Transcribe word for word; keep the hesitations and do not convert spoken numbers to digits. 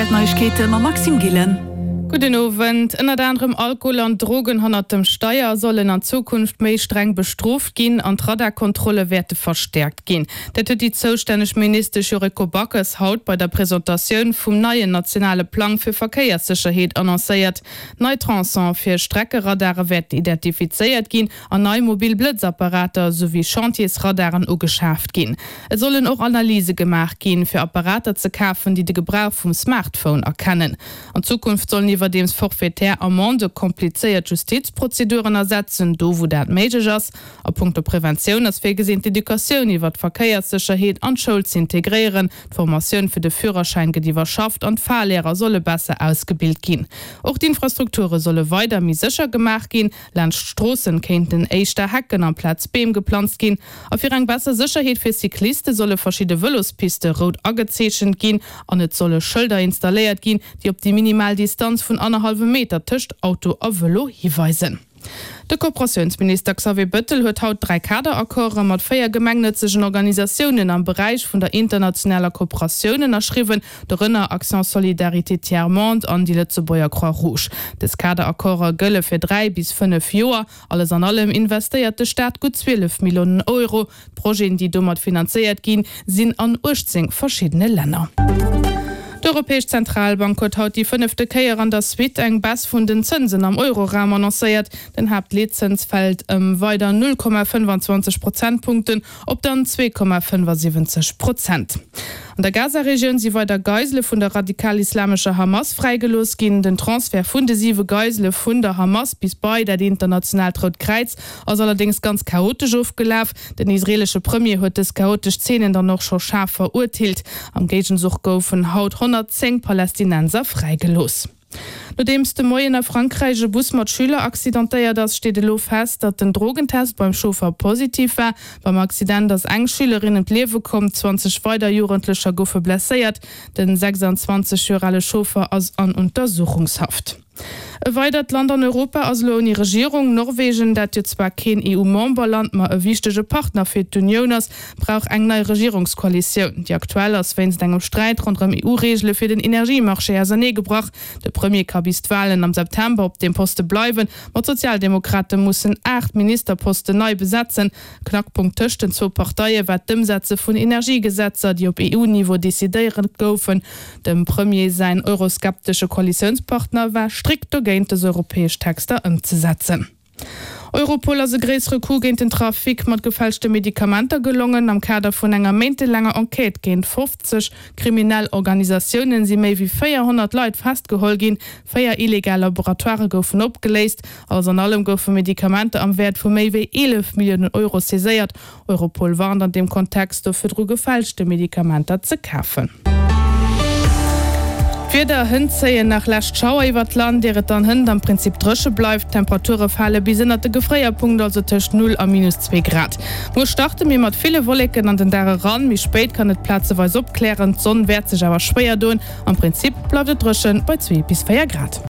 R T L Neiegkeete mam Maxime Gillen. Gudden Owend. Ënnert anerem Alkohol an Drogen hannert dem Steier sollen an Zukunft méi streng bestrooft ginn an d'Radarkontrolle wäerte verstäerkt ginn. Dat huet déi zoustänneg Ministesch Yuriko Backes haut bei der Presentatioun vum neien nationale Plang fir Verkéierssécherheet annoncéiert. Nei Tronçone fir Streckeradare wäerten identifizéiert ginn an nei mobil Blëtzapparater souwéi Chantiersradaren ugeschaaft ginn. Et sollen och Analyse gemaach ginn, fir Apparater ze kafen, déi de Gebrauch vum Smartphone erkennen. An Zukunft sollen iwwerdeems forfaitär Amendë komplizéiert Justizprozeduren ersetzen, do wou dat méiglech ass. A punkto Preventioun ass virgesinn, d'Educatioun iwwer d'Verkéierssécherheet an d'Schoul z'integréieren. D'Formatioun fir de Führerschäin gëtt iwwerschafft an d'Fahrlehrer solle besser ausgebilt ginn. Och d'Infrastrukture solle weider méi sécher gemaach ginn. Laanscht d'Stroossen kéinten éischter Hecken amplaz Beem geplanzt ginn. A fir eng besser Sécherheet fir Cycliste solle verschidde Vëlospiste rout agezeechent ginn an et solle Schëlder installéiert ginn, déi op déi minimal Distanz vun annerhallwem Meter tëscht Auto a Vëlo hiweisen. De Kooperatiounsminister Xavier Bëttel huet haut dräi Kaderaccorde mat véier gemengnëtzegen Organisatiounen am Beräich vun der internationaler Kooperatioun ënnerschriwwen, dorënner Action Solidarité Tiers Monde an déi Lëtzebuerger Croix Rouge. Dës Kaderaccorde gëlle fir dräi bis fënnef Joer. Alles an allem investéiert de Staat gutt zwielef Milliounen Euro. D'Projeten, déi domat finanzéiert ginn, sinn an uechtzéng verschiddene Länner. D'Europäesch Zentralbank huet haut déi fënnefte Kéier an der Suite eng Baisse vun den Zënsen am Euroraum annoncéiert. Den Haaptleetzëns fält ëm weider null Komma fënnfanzwanzeg Prozentpunkten op dann zwee Komma fënnfasiwwenzeg Prozent. An der Gaza-Regioun si weider Geisele vun der radikal-islamescher Hamas fräigelooss ginn. Den Transfert vun de siwe Geisele vun der Hamas bis bei dat internationaalt Rout Kräiz ass allerdéngs ganz chaotesch ofgelaf. Den israeelesche Premier huet dës chaotesch Zeenen dann och scho schaarf verurteelt. Am Géigenzuch goufen haut honnertzéng Palästinenser fräigelooss. Nodeems de Moien a Frankräich e Bus mat Schüler accidentéiert ass, steet elo fest, datt den Drogentest beim Chauffer positiv war. Beim Accident ass eng Schülerin ëm d'Liewe komm, zwanzeg weider Jugendlecher goufe blesséiert. Den sechsandzwanzeg Joer ale Chauffer ass an Untersuchungshaft. E weidert Land an Europa ass elo ouni Regierung. Norwegen, dat jo zwar keen E U-Memberland, ma e wichtege Partner fir d'Unioun ass, brauch eng nei Regierungskoalitioun. Déi aktuell ass wéinst engem Sträit ronderëm E U-Reegele fir den Energiemarché auserneegebrach. De Premier ka bis d'Walen am September op deem Poste bleiwen, ma d'Sozialdemokrate mussen aacht Ministerposten nei besetzen. Knackpunkt tëscht den zwou Parteie war d'Ëmsetze vun Energiegesetzer, déi op E U-Niveau decidéiert goufen. Dem Premier säin euroskeptesche Koalitiounspartner war strikt dogéint, dës europäesch Texter ëmzesetzen. Europol ass e gréissere Coup géint den Trafic mat gefälschte Medikamenter gelongen. Am Kader vun enger méintelaanger Enquête géint fofzeg kriminell Organisatiounen si méi wéi véierhonnert Leit festgeholl ginn. Véier illegal Laboratoire goufen opgeléist. Alles an allem goufe Medikamenter am Wäert vu méi wéi eelef Milliounen Euro saiséiert. Europol warnt an deem Kontext do virdru gefälschte Medikamenter ze kafen. D'Wieder, Hënt zéien nach lescht Schauer iwwer d'Land, ier et dann hënt am Prinzip dréche bleift. D'Temperature fale bis ënnert de Gefréierpunkt, also tëscht null a minus zwee Grad. Muer starte mir mat ville Wolleken an den Dag eran, méi spéit kann et plazeweis opklären, d'Sonn wäert sech awer schwéier doen. Am Prinzip bleift et dréche bei zwee bis véier Grad.